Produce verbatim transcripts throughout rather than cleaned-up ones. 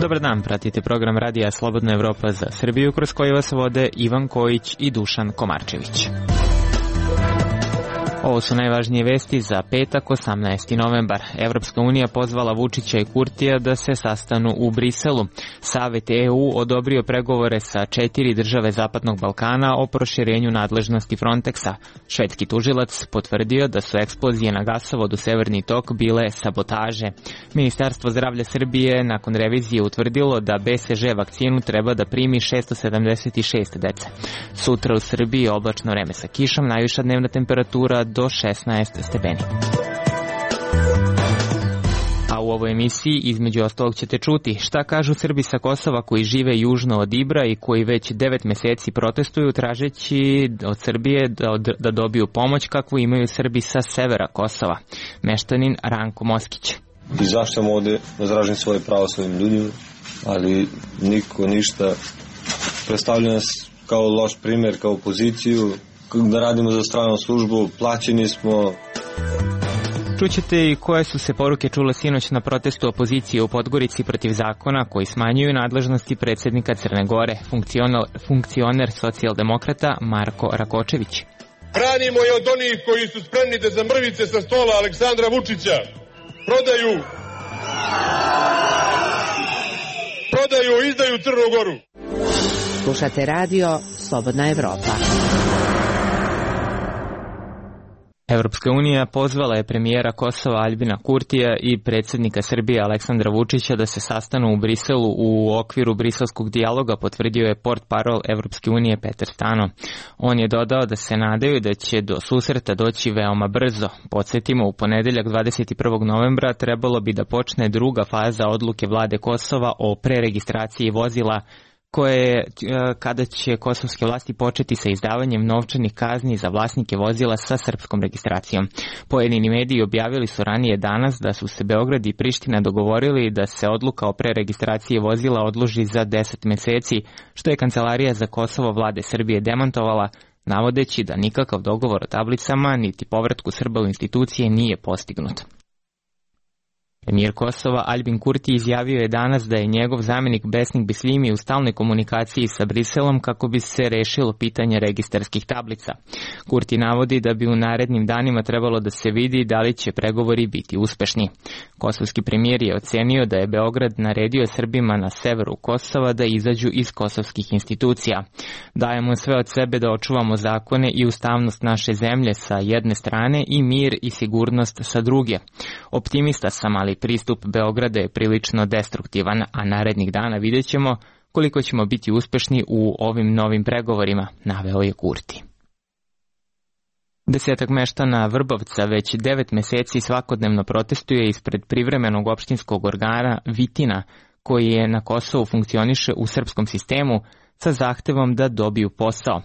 Dobar dan, pratite program Radija Slobodna Evropa za Srbiju, kroz koji vas vode Ivan Kojić i Dušan Komarčević. Ovo su najvažnije vesti za petak, osamnaesti novembar. Evropska unija pozvala Vučića i Kurtija da se sastanu u Briselu. Savet E U odobrio pregovore sa četiri države Zapadnog Balkana o proširenju nadležnosti Frontexa. Švedski tužilac potvrdio da su eksplozije na gasovodu Severni tok bile sabotaže. Ministarstvo zdravlja Srbije nakon revizije utvrdilo da B C G vakcinu treba da primi šesto sedamdeset šest dece. Sutra u Srbiji oblačno vreme sa kišom, najviša dnevna temperatura do šesnaest stepeni. A u ovoj emisiji između ostalog ćete čuti šta kažu Srbi sa Kosova koji žive južno od Ibra i koji već devet meseci protestuju tražeći od Srbije da, od, da dobiju pomoć kakvu imaju Srbi sa severa Kosova. Meštanin Ranko Moskić. Izašao ovde da izražim svoje pravo svojim ljudima, ali niko ništa. Predstavlja nas kao loš primjer, kao opoziciju, da radimo za stranu službu, plaćeni smo. Čućete i koje su se poruke čule sinoć na protestu opozicije u Podgorici protiv zakona koji smanjuju nadležnosti predsjednika Crne Gore, funkcioner, funkcioner socijaldemokrata Marko Rakočević. Branimo je od onih koji su spremni da za mrvice sa stola Aleksandra Vučića prodaju prodaju, izdaju Crnu Goru. Slušate radio Slobodna Evropa. Evropska unija pozvala je premijera Kosova Aljbina Kurtija i predsjednika Srbije Aleksandra Vučića da se sastanu u Briselu u okviru briselskog dijaloga, potvrdio je portparol Evropske unije Petar Stano. On je dodao da se nadaju da će do susreta doći veoma brzo. Podsjetimo, u ponedeljak dvadeset prvog novembra trebalo bi da počne druga faza odluke vlade Kosova o preregistraciji vozila koje kada će kosovske vlasti početi sa izdavanjem novčanih kazni za vlasnike vozila sa srpskom registracijom. Pojedini mediji objavili su ranije danas da su se Beograd i Priština dogovorili da se odluka o preregistraciji vozila odloži za deset meseci, što je Kancelarija za Kosovo vlade Srbije demantovala, navodeći da nikakav dogovor o tablicama niti povratku Srba u institucije nije postignut. Premijer Kosova Aljbin Kurti izjavio je danas da je njegov zamjenik Besnik Bislimi u stalnoj komunikaciji sa Briselom kako bi se rešilo pitanje registarskih tablica. Kurti navodi da bi u narednim danima trebalo da se vidi da li će pregovori biti uspešni. Kosovski premijer je ocenio da je Beograd naredio Srbima na severu Kosova da izađu iz kosovskih institucija. Dajemo sve od sebe da očuvamo zakone i ustavnost naše zemlje sa jedne strane i mir i sigurnost sa druge. Optimista sam, ali pristup Beograda je prilično destruktivan, a narednih dana vidjet ćemo koliko ćemo biti uspešni u ovim novim pregovorima, naveo je Kurti. Desetak meštana Vrbovca već devet meseci svakodnevno protestuje ispred privremenog opštinskog organa Vitina, koji je na Kosovu funkcioniše u srpskom sistemu sa zahtevom da dobiju posao.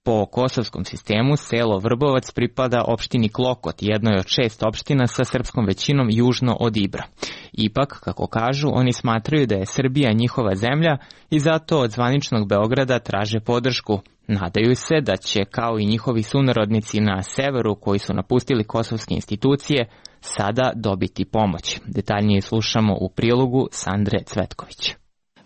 Po kosovskom sistemu, selo Vrbovac pripada opštini Klokot, jednoj od šest opština sa srpskom većinom južno od Ibra. Ipak, kako kažu, oni smatraju da je Srbija njihova zemlja i zato od zvaničnog Beograda traže podršku. Nadaju se da će, kao i njihovi sunarodnici na severu koji su napustili kosovske institucije, sada dobiti pomoć. Detaljnije slušamo u prilogu Sandre Cvetković.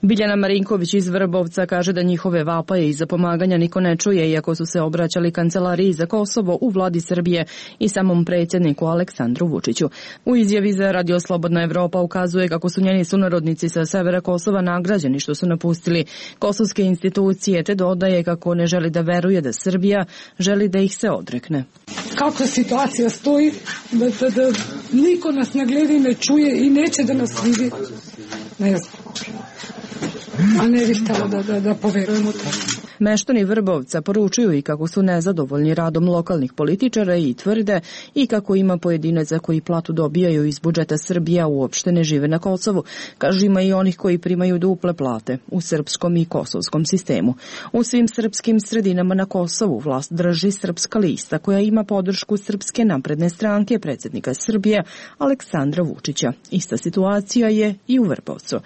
Biljana Marinković iz Vrbovca kaže da njihove vapaje i za pomaganja niko ne čuje, iako su se obraćali Kancelariji za Kosovo u vladi Srbije i samom predsjedniku Aleksandru Vučiću. U izjavi za Radio Slobodna Evropa ukazuje kako su njeni sunarodnici sa severa Kosova nagrađeni što su napustili kosovske institucije, te dodaje kako ne želi da veruje da Srbija želi da ih se odrekne. Kako situacija stoji, da, da, da niko nas ne gleda i ne čuje i neće da nas vidi, ne znam. A ne bih htjela da, da, da poverujemo to. Meštani Vrbovca poručuju i kako su nezadovoljni radom lokalnih političara i tvrde i kako ima pojedinaca koji platu dobijaju iz budžeta Srbija uopšte ne žive na Kosovu. Kažu, ima i onih koji primaju duple plate u srpskom i kosovskom sistemu. U svim srpskim sredinama na Kosovu vlast drži Srpska lista koja ima podršku Srpske napredne stranke predsjednika Srbije Aleksandra Vučića. Ista situacija je i u Vrbovcu.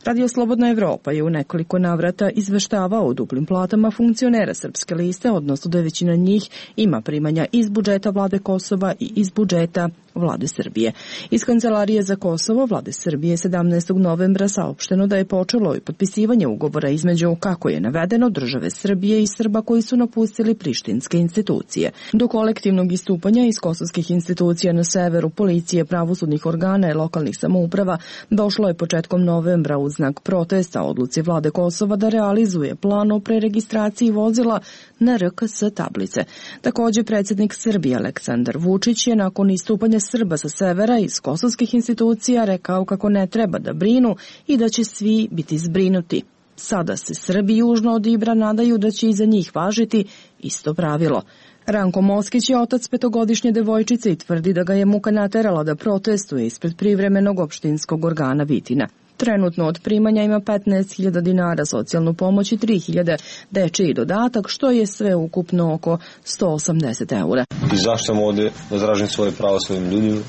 Radio Slobodna Evropa je u nekoliko navrata izveštavao o duplim platama funkcionera Srpske liste, odnosno da većina njih ima primanja iz budžeta vlade Kosova i iz budžeta vlade Srbije. Iz Kancelarije za Kosovo vlade Srbije sedamnaestog novembra saopšteno da je počelo i potpisivanje ugovora između, kako je navedeno, države Srbije i Srba koji su napustili prištinske institucije. Do kolektivnog istupanja iz kosovskih institucija na severu, policije, pravosudnih organa i lokalnih samouprava došlo je početkom novembra uz znak protesta odluci vlade Kosova da realizuje plan o preregistraciji vozila na R K S tablice. Takođe, predsjednik Srbije Aleksandar Vučić je nakon istupanja Srba sa severa iz kosovskih institucija rekao kako ne treba da brinu i da će svi biti zbrinuti. Sada se Srbi južno od Ibra nadaju da će i za njih važiti isto pravilo. Ranko Moskić je otac petogodišnje devojčice i tvrdi da ga je muka naterala da protestuje ispred privremenog opštinskog organa Vitina. Trenutno od primanja ima petnaest hiljada dinara socijalnu pomoć i tri hiljade dečiji dodatak, što je sve ukupno oko sto osamdeset eura. I zašto sam ovde da izražim svoje pravo svojim ljudima,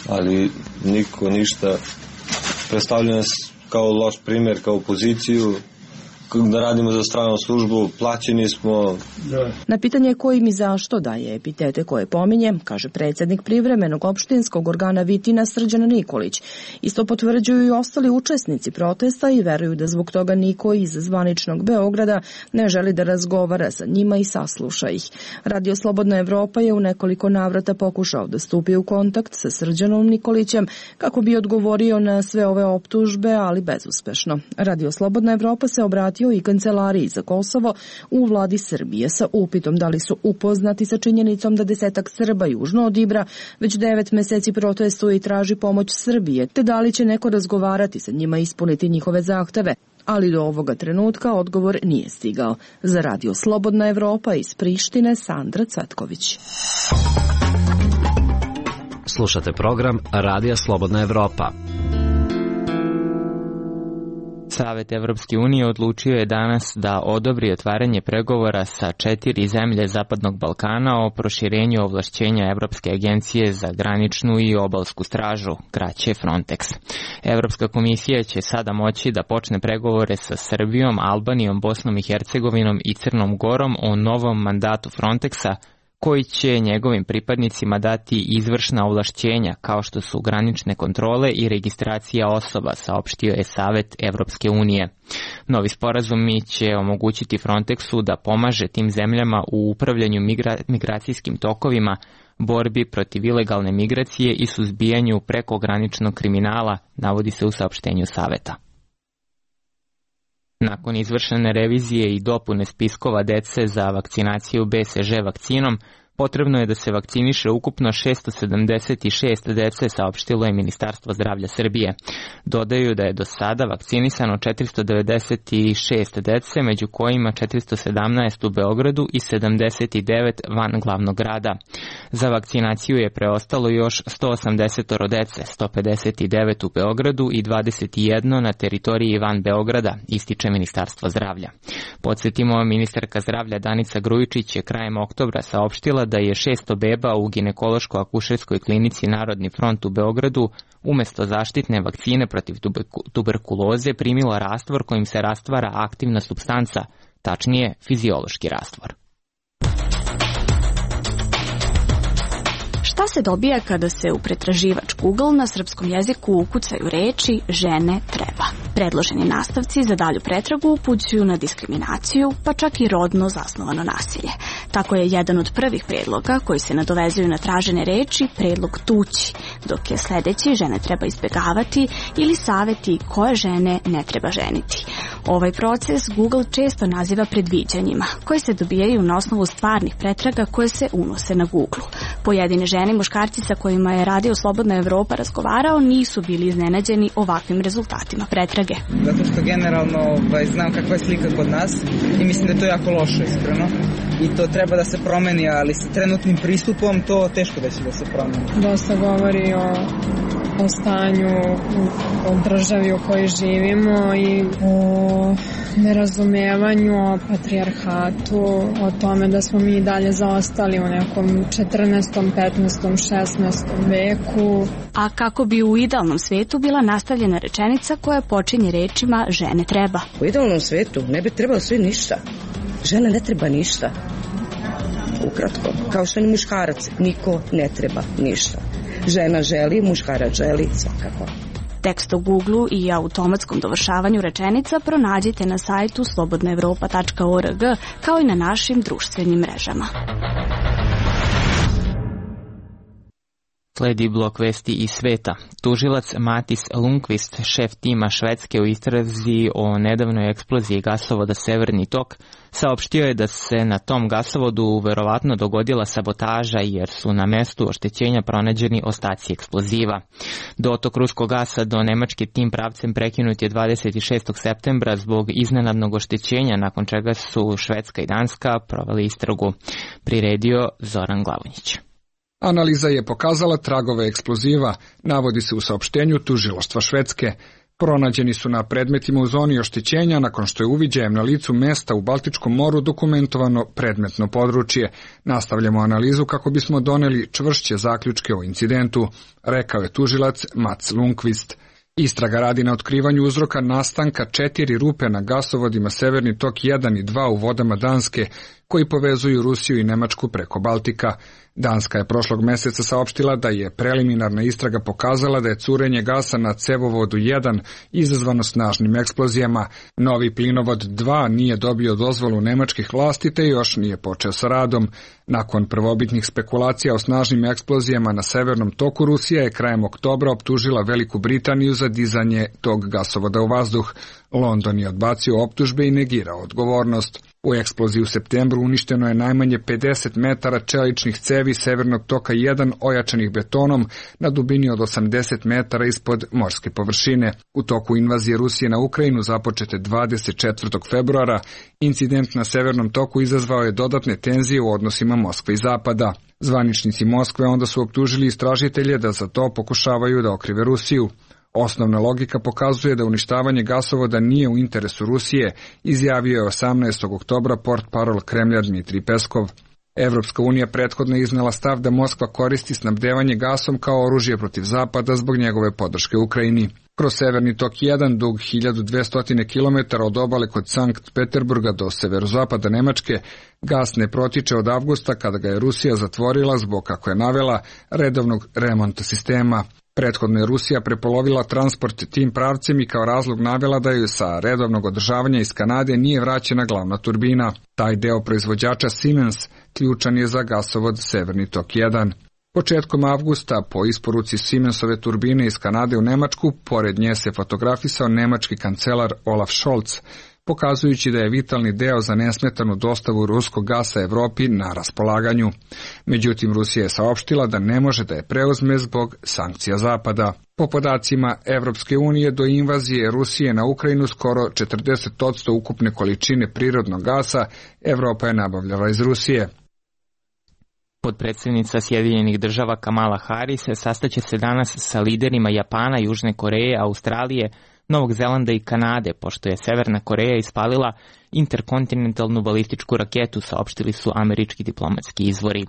ali niko ništa. Predstavlja nas kao loš primjer, kao opoziciju, da radimo za stranu službu, plaćeni smo. Na pitanje kojim i zašto daje epitete koje pominje, kaže predsjednik privremenog opštinskog organa Vitina Srđan Nikolić. Isto potvrđuju i ostali učesnici protesta i veruju da zbog toga niko iz zvaničnog Beograda ne želi da razgovara sa njima i sasluša ih. Radio Slobodna Evropa je u nekoliko navrata pokušao da stupi u kontakt sa Srđanom Nikolićem kako bi odgovorio na sve ove optužbe, ali bezuspešno. Radio Slobodna Evropa se obratio i Kancelariji za Kosovo u vladi Srbije sa upitom da li su upoznati sa činjenicom da desetak Srba južno od Ibra već devet meseci protestuje i traži pomoć Srbije, te da li će neko razgovarati sa njima i ispuniti njihove zahteve. Ali do ovoga trenutka odgovor nije stigao. Za Radio Slobodna Evropa iz Prištine, Sandra Cvetković. Slušate program Radija Slobodna Evropa. Savet Evropske unije odlučio je danas da odobri otvaranje pregovora sa četiri zemlje Zapadnog Balkana o proširenju ovlašćenja Evropske agencije za graničnu i obalsku stražu, kraće Frontex. Evropska komisija će sada moći da počne pregovore sa Srbijom, Albanijom, Bosnom i Hercegovinom i Crnom Gorom o novom mandatu Frontexa, koji će njegovim pripadnicima dati izvršna ovlašćenja kao što su granične kontrole i registracija osoba, saopštio je Savet Evropske unije. Novi sporazumi će omogućiti Frontexu da pomaže tim zemljama u upravljanju migra- migracijskim tokovima, borbi protiv ilegalne migracije i suzbijanju prekograničnog kriminala, navodi se u saopštenju Saveta. Nakon izvršene revizije i dopune spiskova dece za vakcinaciju B C G vakcinom, potrebno je da se vakciniše ukupno šesto sedamdeset šest dece, saopštilo je Ministarstvo zdravlja Srbije. Dodaju da je do sada vakcinisano četiristo devedeset šest dece, među kojima četiristo sedamnaest u Beogradu i sedamdeset devet van glavnog grada. Za vakcinaciju je preostalo još sto osamdeset dece, sto pedeset devet u Beogradu i dvadeset jedan na teritoriji van Beograda, ističe Ministarstvo zdravlja. Podsjetimo, ministarka zdravlja Danica Grujičić je krajem oktobra saopštila da je šesto beba u ginekološko-akušerskoj klinici Narodni front u Beogradu umesto zaštitne vakcine protiv tuberkuloze primila rastvor kojim se rastvara aktivna supstanca, tačnije fiziološki rastvor. Šta se dobija kada se u pretraživač Google na srpskom jeziku ukucaju reči žene treba? Predloženi nastavci za dalju pretragu upućuju na diskriminaciju, pa čak i rodno zasnovano nasilje. Tako je jedan od prvih predloga koji se nadovezuju na tražene reči predlog tući, dok je sledeći žene treba izbjegavati ili saveti koje žene ne treba ženiti. Ovaj proces Google često naziva predviđanjima, koji se dobijaju na osnovu stvarnih pretraga koje se unose na Google. Pojedine žene i muškarci sa kojima je Radio Slobodna Evropa razgovarao nisu bili iznenađeni ovakvim rezultatima pretrage. Zato što generalno ovaj, znam kakva je slika kod nas i mislim da je to jako loše, iskreno. I to treba da se promeni, ali sa trenutnim pristupom to teško da će da se promeni. Dosta govori o, o stanju u, u državi u kojoj živimo i o nerazumevanju, o patrijarhatu, o tome da smo mi dalje zaostali u nekom četrnaestom, petnaestom, šesnaestom veku. A kako bi u idealnom svetu bila nastavljena rečenica koja počinje rečima žene treba? U idealnom svetu ne bi trebalo sve ništa. Žena ne treba ništa. Ukratko, kao što ni muškarac, niko ne treba ništa. žena želi, muškarac želi, svakako. Tekst o Google-u i automatskom dovršavanju rečenica pronađite na sajtu slobodna evropa tačka org kao i na našim društvenim mrežama. Sledi blok vesti iz sveta. Tužilac Matis Lundqvist, šef tima Švedske u istrazi o nedavnoj eksploziji gasovoda Severni tok, saopštio je da se na tom gasovodu verovatno dogodila sabotaža jer su na mestu oštećenja pronađeni ostaci eksploziva. Dotok ruskog gasa do Nemačke tim pravcem prekinut je dvadeset šestog septembra zbog iznenadnog oštećenja, nakon čega su Švedska i Danska proveli istragu. Priredio Zoran Glavonjić. Analiza je pokazala tragove eksploziva, navodi se u saopštenju tužilaštva Švedske. Pronađeni su na predmetima u zoni oštećenja nakon što je uviđajem na licu mesta u Baltičkom moru dokumentovano predmetno područje. Nastavljamo analizu kako bismo doneli čvršće zaključke o incidentu, rekao je tužilac Mats Lundqvist. Istraga radi na otkrivanju uzroka nastanka četiri rupe na gasovodima Severni tok jedan i dva u vodama Danske, koji povezuju Rusiju i Nemačku preko Baltika. Danska je prošlog meseca saopštila da je preliminarna istraga pokazala da je curenje gasa na cevovodu jedan izazvano snažnim eksplozijama. Novi plinovod dva nije dobio dozvolu nemačkih vlasti te još nije počeo sa radom. Nakon prvobitnih spekulacija o snažnim eksplozijama na Severnom toku, Rusija je krajem oktobra optužila Veliku Britaniju za dizanje tog gasovoda u vazduh. London je odbacio optužbe i negirao odgovornost. U eksploziji u septembru uništeno je najmanje pedeset metara čeličnih cevi Severnog toka jedan ojačanih betonom na dubini od osamdeset metara ispod morske površine. U toku invazije Rusije na Ukrajinu započete dvadeset četvrtog februara, incident na Severnom toku izazvao je dodatne tenzije u odnosima Moskve i Zapada. Zvaničnici Moskve onda su optužili istražitelje da za to pokušavaju da okrive Rusiju. Osnovna logika pokazuje da uništavanje gasovoda nije u interesu Rusije, izjavio je osamnaestog oktobra portparol Kremlja Dmitrij Peskov. Evropska unija prethodno je iznela stav da Moskva koristi snabdevanje gasom kao oružje protiv Zapada zbog njegove podrške Ukrajini. Kroz Severni tok jedan, dug hiljadu dvesta kilometara od obale kod Sankt Peterburga do severozapada Nemačke, gas ne protiče od avgusta kada ga je Rusija zatvorila zbog, kako je navela, redovnog remonta sistema. Prethodno je Rusija prepolovila transport tim pravcem i kao razlog navela da joj sa redovnog održavanja iz Kanade nije vraćena glavna turbina. Taj deo proizvođača Siemens ključan je za gasovod Severni tok jedan. Početkom avgusta, po isporuci Siemensove turbine iz Kanade u Nemačku, pored nje se fotografisao nemački kancelar Olaf Scholz, pokazujući da je vitalni deo za nesmetanu dostavu ruskog gasa Evropi na raspolaganju. Međutim, Rusija je saopštila da ne može da je preuzme zbog sankcija Zapada. Po podacima Evropske unije, do invazije Rusije na Ukrajinu skoro četrdeset posto ukupne količine prirodnog gasa Evropa je nabavljala iz Rusije. Potpredsjednica Sjedinjenih država Kamala Harris sastaće se danas sa liderima Japana, Južne Koreje, Australije, Novog Zelanda i Kanade, pošto je Severna Koreja ispalila interkontinentalnu balističku raketu, saopštili su američki diplomatski izvori.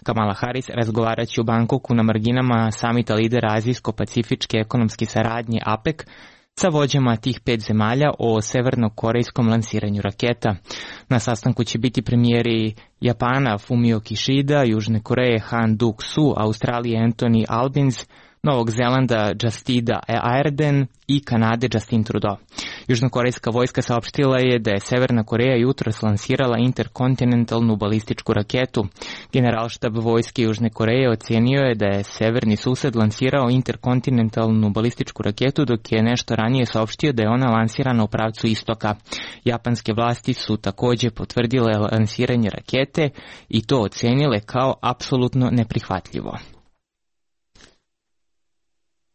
Kamala Harris razgovaraće u Bangkoku na marginama samita lidera Azijsko-pacifičke ekonomske saradnje A P E C sa vođama tih pet zemalja o severno-korejskom lansiranju raketa. Na sastanku će biti premijeri Japana Fumio Kishida, Južne Koreje Han Duck-Soo, Australije Anthony Albanese, Novog Zelanda Jacinda Ardern i Kanade Justin Trudeau. Južnokorejska vojska saopštila je da je Severna Koreja jutros lansirala interkontinentalnu balističku raketu. Generalštab vojske Južne Koreje ocenio je da je severni sused lansirao interkontinentalnu balističku raketu, dok je nešto ranije saopštio da je ona lansirana u pravcu istoka. Japanske vlasti su takođe potvrdile lansiranje rakete i to ocenile kao apsolutno neprihvatljivo.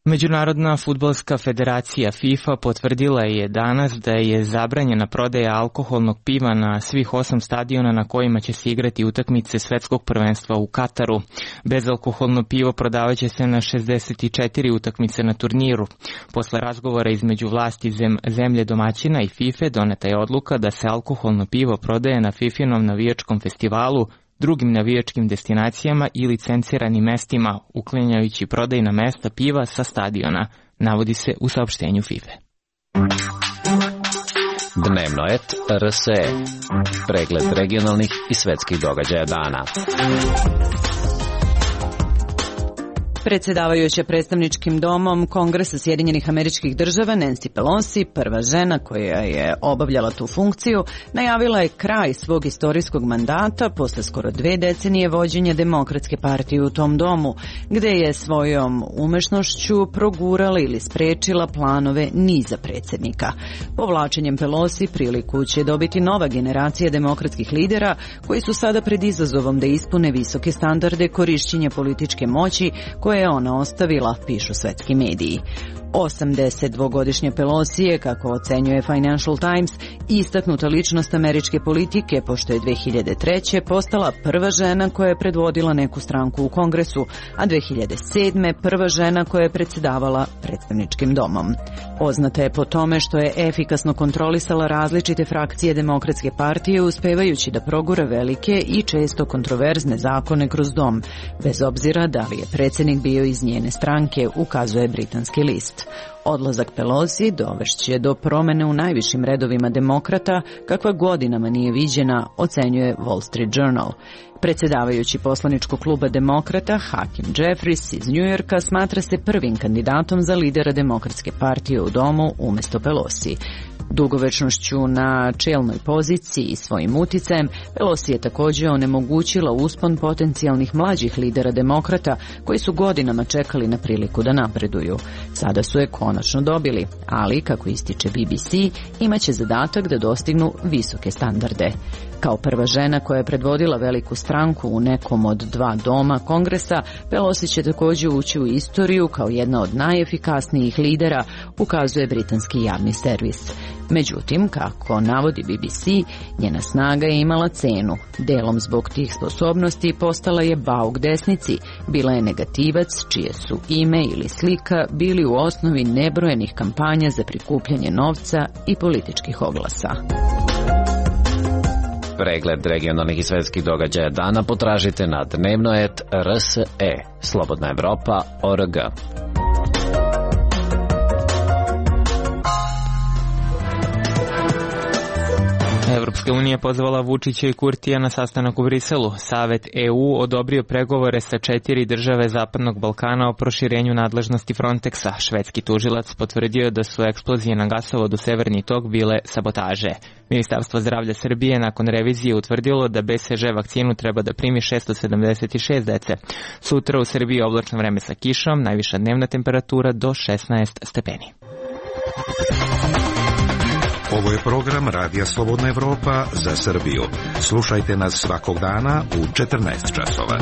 Međunarodna fudbalska federacija FIFA potvrdila je danas da je zabranjena prodaja alkoholnog piva na svih osam stadiona na kojima će se igrati utakmice svetskog prvenstva u Kataru. Bezalkoholno pivo prodavaće se na šezdeset četiri utakmice na turniru. Posle razgovora između vlasti zem, zemlje domaćina i FIFA doneta je odluka da se alkoholno pivo prodaje na FIFInom navijačkom festivalu, drugim navijačkim destinacijama i licenciranim mestima, uklanjajući prodajna mesta piva sa stadiona, navodi se u saopštenju FIFA. Dnevnoet R S E. Pregled regionalnih i svetskih događaja dana. Predsjedavajuća predstavničkim domom Kongresa Sjedinjenih Američkih Država Nancy Pelosi, prva žena koja je obavljala tu funkciju, najavila je kraj svog istorijskog mandata posle skoro dve decenije vođenja Demokratske partije u tom domu, gde je svojom umešnošću progurala ili sprečila planove niza predsjednika. Povlačenjem Pelosi priliku će dobiti nova generacija demokratskih lidera koji su sada pred izazovom da ispune visoke standarde korišćenja političke moći koje je ona ostavila, pišu svetski mediji. osamdesetdvogodišnja Pelosi je, kako ocenjuje Financial Times, istaknuta ličnost američke politike, pošto je dve hiljade treće. postala prva žena koja je predvodila neku stranku u Kongresu, a dve hiljade sedme. prva žena koja je predsjedavala predstavničkim domom. Poznata je po tome što je efikasno kontrolisala različite frakcije Demokratske partije, uspevajući da progura velike i često kontroverzne zakone kroz dom, bez obzira da li je predsjednik bio iz njene stranke, ukazuje britanski list. Odlazak Pelosi dovešće do promene u najvišim redovima demokrata, kakva godinama nije viđena, ocenjuje Wall Street Journal. Predsjedavajući poslaničkog kluba demokrata Hakeem Jeffries iz Njujorka smatra se prvim kandidatom za lidera Demokratske partije u domu umjesto Pelosi. Dugovečnošću na čelnoj poziciji i svojim uticajem, Pelosi je također onemogućila uspon potencijalnih mlađih lidera demokrata koji su godinama čekali na priliku da napreduju. Sada su je konačno dobili, ali, kako ističe B B C, imaće zadatak da dostignu visoke standarde. Kao prva žena koja je predvodila veliku stranku u nekom od dva doma Kongresa, Pelosi će također ući u istoriju kao jedna od najefikasnijih lidera, ukazuje britanski javni servis. Međutim, kako navodi B B C, njena snaga je imala cenu. Delom zbog tih sposobnosti postala je bauk desnici, bila je negativac čije su ime ili slika bili u osnovi nebrojenih kampanja za prikupljanje novca i političkih oglasa. Pregled regionalnih i svetskih događaja dana potražite na dnevnoet R S E, Slobodna Evropa, O R G. Evropska unija pozvala Vučića i Kurtija na sastanak u Briselu. Savet E U odobrio pregovore sa četiri države Zapadnog Balkana o proširenju nadležnosti Frontexa. Švedski tužilac potvrdio da su eksplozije na gasovodu Severni tok bile sabotaže. Ministarstvo zdravlja Srbije nakon revizije utvrdilo da B C G vakcinu treba da primi šesto sedamdeset šest dece. Sutra u Srbiji oblačno vreme sa kišom, najviša dnevna temperatura do šesnaest stepeni. Ovo je program Radija Slobodna Evropa za Srbiju. Slušajte nas svakog dana u četrnaest časova.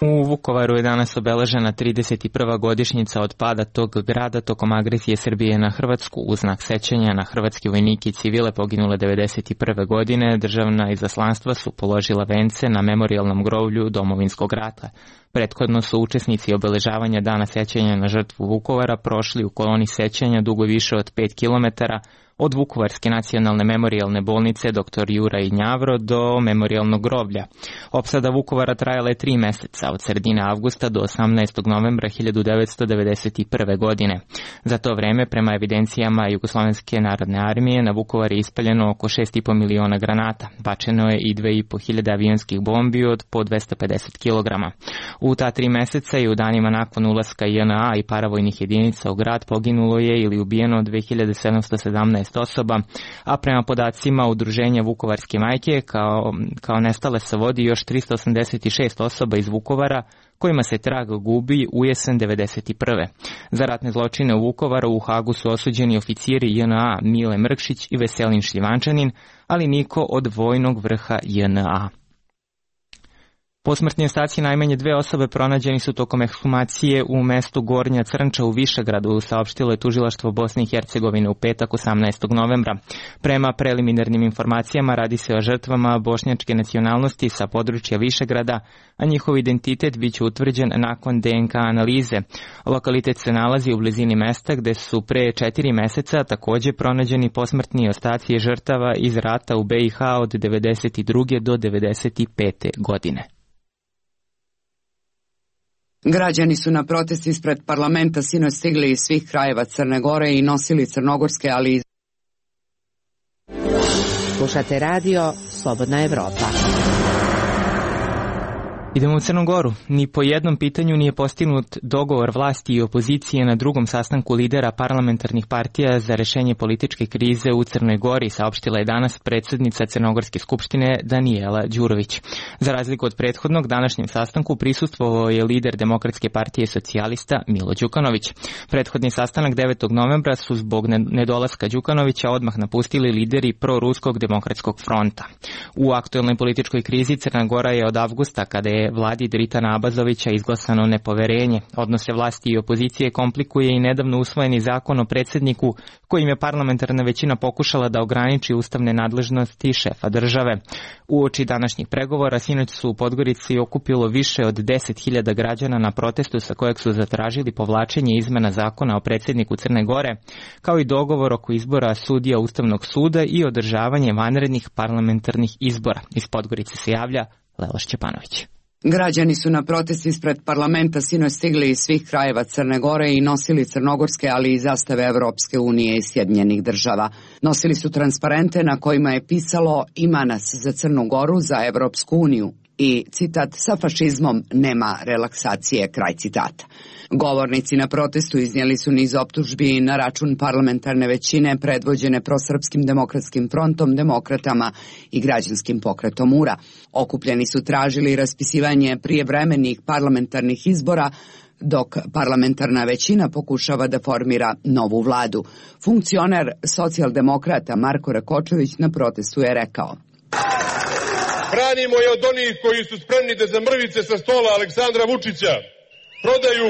U Vukovaru je danas obeležena trideset prva godišnjica od pada tog grada tokom agresije Srbije na Hrvatsku. U znak sećanja na hrvatske vojnike i civile poginule devedeset prve godine, državna izaslanstva su položila vence na memorijalnom groblju Domovinskog rata. Prethodno su učesnici obeležavanja dana sećanja na žrtvu Vukovara prošli u koloni sećanja dugo više od pet kilometara od Vukovarske nacionalne memorijalne bolnice doktor Juraj Njavro do memorijalnog groblja. Opsada Vukovara trajala je tri meseca, od sredine avgusta do osamnaestog novembra hiljadu devetsto devedeset prve. godine. Za to vreme, prema evidencijama Jugoslovenske narodne armije, na Vukovar je ispaljeno oko šest i po miliona granata. Bačeno je i dve i po hiljade avionskih bombi od po dvesta pedeset kilograma. U ta tri meseca i u danima nakon ulaska J N A i paravojnih jedinica u grad poginulo je ili ubijeno dve hiljade sedamsto sedamnaest osoba, a prema podacima Udruženja Vukovarske majke kao, kao nestale se vodi još tristo osamdeset šest osoba iz Vukovara, kojima se trag gubi u jesen devedeset prve. Za ratne zločine u Vukovaru u Hagu su osuđeni oficiri J N A Mile Mrkšić i Veselin Šljivančanin, ali niko od vojnog vrha J N A. Posmrtni ostaci najmanje dve osobe pronađeni su tokom ekshumacije u mestu Gornja Crnča u Višegradu, saopštilo je tužilaštvo Bosne i Hercegovine u petak osamnaestog novembra. Prema preliminarnim informacijama radi se o žrtvama bošnjačke nacionalnosti sa područja Višegrada, a njihov identitet biće utvrđen nakon D N K analize. Lokalitet se nalazi u blizini mesta gde su pre četiri meseca takođe pronađeni posmrtni ostaci žrtava iz rata u B i H od devedeset druge do devedeset pete. godine. Građani su na protest ispred parlamenta sinoć stigli iz svih krajeva Crne Gore i nosili crnogorske, ali i... Slušate radio Slobodna Evropa. Idemo u Crnu Goru. Ni po jednom pitanju nije postignut dogovor vlasti i opozicije na drugom sastanku lidera parlamentarnih partija za rešenje političke krize u Crnoj Gori, saopštila je danas predsjednica Crnogorske skupštine Danijela Đurović. Za razliku od prethodnog, današnjem sastanku prisustvovao je lider Demokratske partije socijalista Milo Đukanović. Prethodni sastanak devetog novembra su zbog nedolaska Đukanovića odmah napustili lideri proruskog demokratskog fronta. U aktuelnoj političkoj krizi Crna Gora je od avgusta, kada je vladi Dritana Abazovića izglasano nepoverenje. Odnose vlasti i opozicije komplikuje i nedavno usvojeni zakon o predsjedniku, kojim je parlamentarna većina pokušala da ograniči ustavne nadležnosti šefa države. Uoči današnjih pregovora sinoć su u Podgorici okupilo više od deset hiljada građana na protestu sa kojeg su zatražili povlačenje izmena zakona o predsjedniku Crne Gore, kao i dogovor oko izbora sudija Ustavnog suda i održavanje vanrednih parlamentarnih izbora. Iz Podgorice se javlja Lela Šćepanović. Građani su na protest ispred parlamenta sinoć stigli iz svih krajeva Crne Gore i nosili crnogorske, ali i zastave Evropske unije i Sjedinjenih država. Nosili su transparente na kojima je pisalo "Ima nas za Crnu Goru, za Evropsku uniju" i citat "Sa fašizmom nema relaksacije", kraj citata. Govornici na protestu iznijeli su niz optužbi na račun parlamentarne većine predvođene prosrpskim demokratskim frontom, demokratama i građanskim pokretom U R A. Okupljeni su tražili raspisivanje prijevremenih parlamentarnih izbora, dok parlamentarna većina pokušava da formira novu vladu. Funkcioner socijaldemokrata Marko Rakočević na protestu je rekao: Branimo je od onih koji su spremni da za mrvice sa stola Aleksandra Vučića prodaju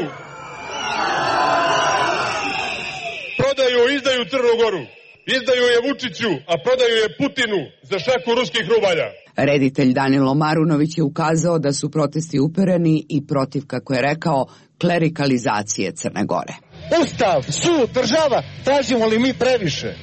prodaju, izdaju Crnu Goru. Izdaju je Vučiću, a prodaju je Putinu za šaku ruskih rubalja. Reditelj Danilo Marunović je ukazao da su protesti upereni i protiv, kako je rekao, klerikalizacije Crne Gore. Ustav, sud, država, tražimo li mi previše?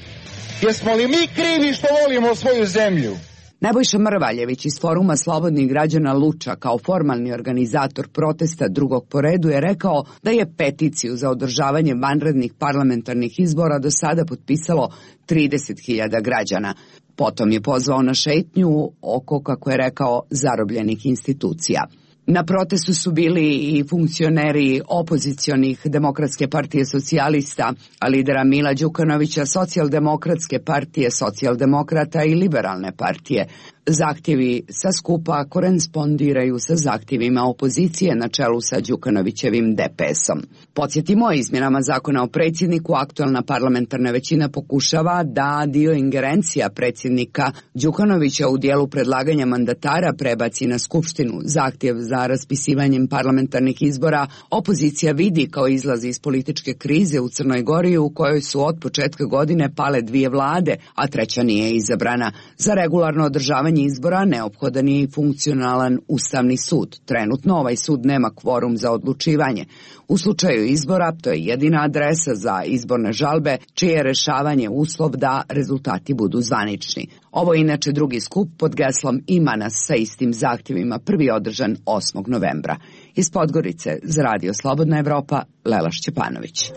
Jesmo li mi krivi što volimo svoju zemlju? Nebojša Mrvaljević iz Foruma slobodnih građana Luča, kao formalni organizator protesta drugog po redu, je rekao da je peticiju za održavanje vanrednih parlamentarnih izbora do sada potpisalo trideset hiljada građana. Potom je pozvao na šetnju oko, kako je rekao, zarobljenih institucija. Na protestu su bili i funkcioneri opozicionih Demokratske partije socijalista, a lidera Mila Đukanovića, Socijaldemokratske partije socijaldemokrata i Liberalne partije. Zahtjevi sa skupa korespondiraju sa zahtjevima opozicije na čelu sa Đukanovićevim D P S-om. Podsjetimo, izmjenama zakona o predsjedniku aktualna parlamentarna većina pokušava da dio ingerencija predsjednika Đukanovića u dijelu predlaganja mandatara prebaci na Skupštinu. Zahtjev za raspisivanjem parlamentarnih izbora opozicija vidi kao izlaz iz političke krize u Crnoj Gori, u kojoj su od početka godine pale dvije vlade, a treća nije izabrana. Za regularno održavanje izbora neophodan je i funkcionalan Ustavni sud. Trenutno ovaj sud nema kvorum za odlučivanje. U slučaju izbora to je jedina adresa za izborne žalbe, čije je rešavanje uslov da rezultati budu zvanični. Ovo je inače drugi skup pod geslom "Ima nas" sa istim zahtjevima, prvi održan osmog novembra. Iz Podgorice za Radio Slobodna Evropa, Lela Šćepanović.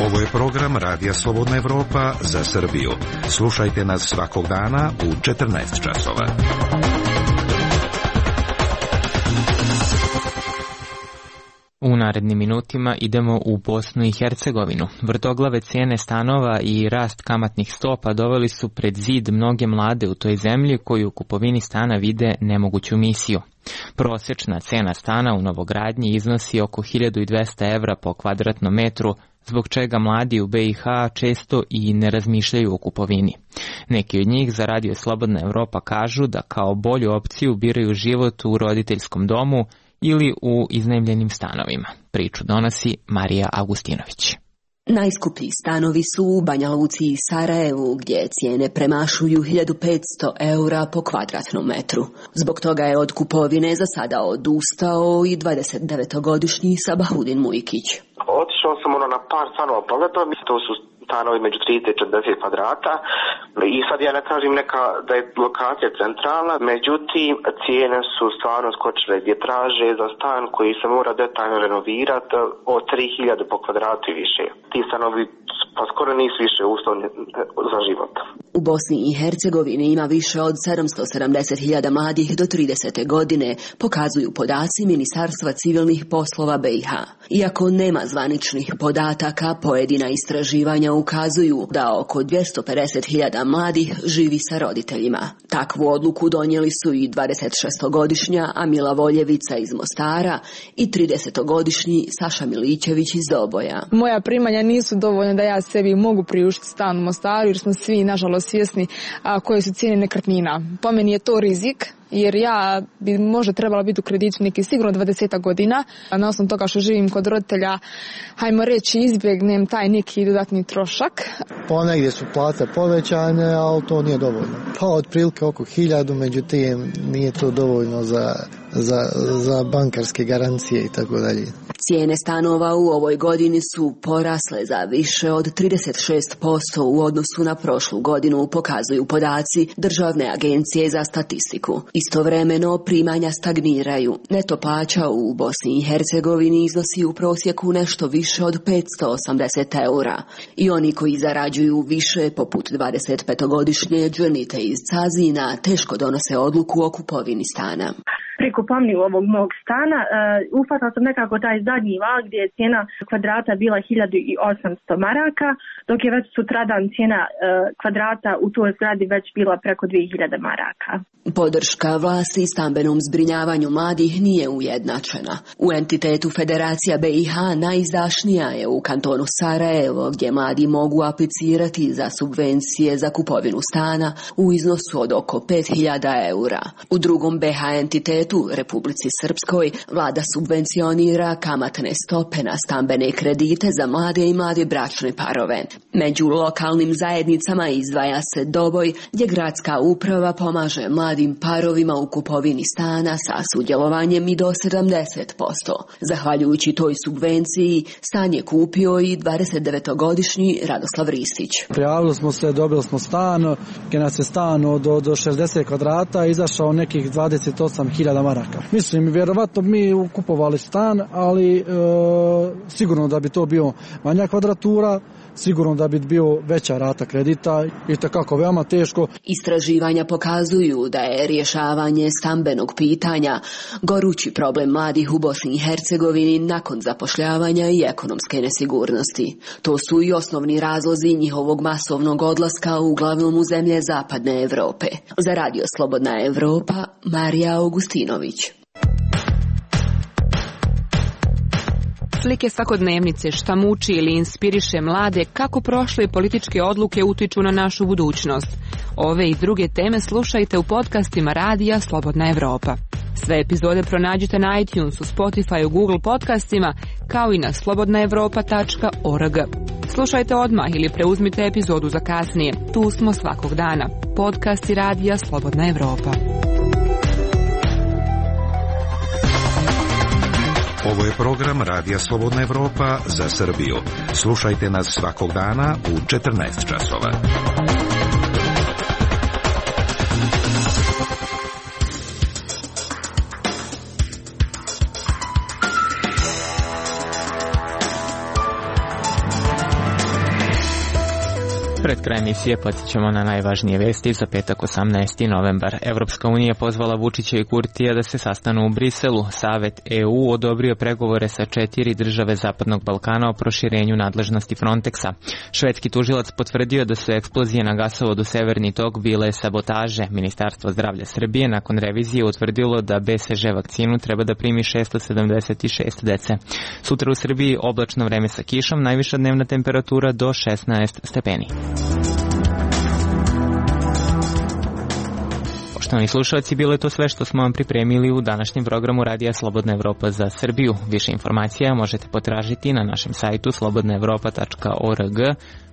Ovo je program Radija Slobodna Evropa za Srbiju. Slušajte nas svakog dana u četrnaest časova. U narednim minutima idemo u Bosnu i Hercegovinu. Vrtoglave cijene stanova i rast kamatnih stopa doveli su pred zid mnoge mlade u toj zemlji koji u kupovini stana vide nemoguću misiju. Prosječna cena stana u novogradnji iznosi oko hiljadu dvesta evra po kvadratnom metru, zbog čega mladi u B i H često i ne razmišljaju o kupovini. Neki od njih za Radio Slobodna Evropa kažu da kao bolju opciju biraju život u roditeljskom domu ili u iznajmljenim stanovima. Priču donosi Marija Augustinović. Najskuplji stanovi su u Banja Luci i Sarajevu, gdje cijene premašuju hiljadu petsto eura po kvadratnom metru. Zbog toga je od kupovine za sada odustao i dvadesetdevetogodišnji Sabahudin Mujkić. Otišao sam ono na par stanova pogledao, mislim to su stanovi među trideset i četrdeset kvadrata i sad ja ne kažem neka da je lokacija centralna, međutim cijene su stvarno skočile gdje traže za stan koji se mora detaljno renovirati od tri hiljade po kvadratu i više. Ti stanovi pa skoro nisu više uslovni za život. U Bosni i Hercegovini ima više od sedamsto sedamdeset hiljada mladih do tridesete godine, pokazuju podaci Ministarstva civilnih poslova be i ha. Iako nema zvaničnih podataka, pojedina istraživanja ukazuju da oko dvjesto pedeset hiljada mladih živi sa roditeljima. Takvu odluku donijeli su i dvadesetšestogodišnja Amila Voljevica iz Mostara i tridesetogodišnji Saša Milićević iz Doboja. Moja primanja nisu dovoljna da ja sebi mogu priuštiti stan u Mostaru, jer smo svi, nažalost, svjesni a, koje su cijene nekretnina. Po meni je to rizik, jer ja bi možda trebala biti u kreditu neki sigurno dvadeset godina. Na osnovu toga što živim kod roditelja, hajmo reći, izbjegnem taj neki dodatni trošak. Ponegdje su plate povećane, ali to nije dovoljno. Pa otprilike oko hiljadu, međutim nije to dovoljno za, za, za bankarske garancije i tako dalje. Cijene stanova u ovoj godini su porasle za više od trideset šest posto u odnosu na prošlu godinu, pokazuju podaci Državne agencije za statistiku. Istovremeno primanja stagniraju. Neto plaća u Bosni i Hercegovini iznosi u prosjeku nešto više od petsto osamdeset eura. I oni koji zarađuju više, poput dvadesetpetogodišnje Džanite iz Cazina, teško donose odluku o kupovini stana. Pri kupovini ovog mog stana uh, uhvatila sam nekako taj zadnji val gdje je cijena kvadrata bila hiljadu osamsto maraka, dok je već sutradan cijena uh, kvadrata u toj zgradi već bila preko dvije hiljade maraka. Podrška vlasti stambenom zbrinjavanju mladih nije ujednačena. U entitetu Federacija be i ha najizdašnija je u kantonu Sarajevo, gdje mladi mogu aplicirati za subvencije za kupovinu stana u iznosu od oko pet hiljada eura. U drugom be ha entitetu, Republici Srpskoj, vlada subvencionira kamatne stope na stambene kredite za mlade i mlade bračne parove. Među lokalnim zajednicama izdvaja se Doboj, gdje gradska uprava pomaže mladim parovima u kupovini stana sa sudjelovanjem i do sedamdeset posto. Zahvaljujući toj subvenciji, stan je kupio i dvadesetdevetogodišnji Radoslav Ristić. Prijavili smo se, dobili smo stan, gdje nas je stan od, od šezdeset kvadrata, izašao nekih dvadeset osam hiljada maraka. Mislim, vjerovatno mi kupovali stan, ali e, sigurno da bi to bio manja kvadratura, sigurno da bi bio veća rata kredita i takako veoma teško. Istraživanja pokazuju da je rješavanje stambenog pitanja gorući problem mladih u Bosni i Hercegovini nakon zapošljavanja i ekonomske nesigurnosti. To su i osnovni razlozi njihovog masovnog odlaska uglavnom u zemlje Zapadne Evrope. Za Radio Slobodna Evropa, Marija Augustinović. Slike svakodnevnice, šta muči ili inspiriše mlade, kako prošle političke odluke utiču na našu budućnost. Ove i druge teme slušajte u podcastima Radija Slobodna Evropa. Sve epizode pronađite na iTunesu, Spotifyu, Google podcastima, kao i na slobodna evropa tačka org. Slušajte odmah ili preuzmite epizodu za kasnije. Tu smo svakog dana. Podcasti Radija Slobodna Evropa. Ovo je program Radija Slobodna Evropa za Srbiju. Slušajte nas svakog dana u četrnaest časova. Pred kraj emisije podsjećamo na najvažnije vesti za petak osamnaesti novembar. Evropska unija pozvala Vučića i Kurtija da se sastanu u Briselu. Savet e u odobrio pregovore sa četiri države Zapadnog Balkana o proširenju nadležnosti Frontexa. Švedski tužilac potvrdio da su eksplozije na gasovodu Severni tok bile sabotaže. Ministarstvo zdravlja Srbije nakon revizije utvrdilo da be se že vakcinu treba da primi šesto sedamdeset šest dece. Sutra u Srbiji oblačno vreme sa kišom, najviša dnevna temperatura do šesnaest stepeni. Poštovani slušalci, bilo je to sve što smo vam pripremili u današnjem programu Radija Slobodna Evropa za Srbiju. Više informacija možete potražiti na našem sajtu slobodna evropa tačka org,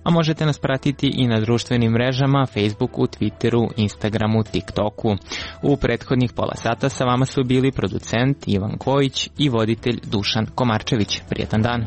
a možete nas pratiti i na društvenim mrežama, Facebooku, Twitteru, Instagramu, TikToku. U prethodnih pola sata sa vama su bili producent Ivan Kojić i voditelj Dušan Komarčević. Prijetan dan!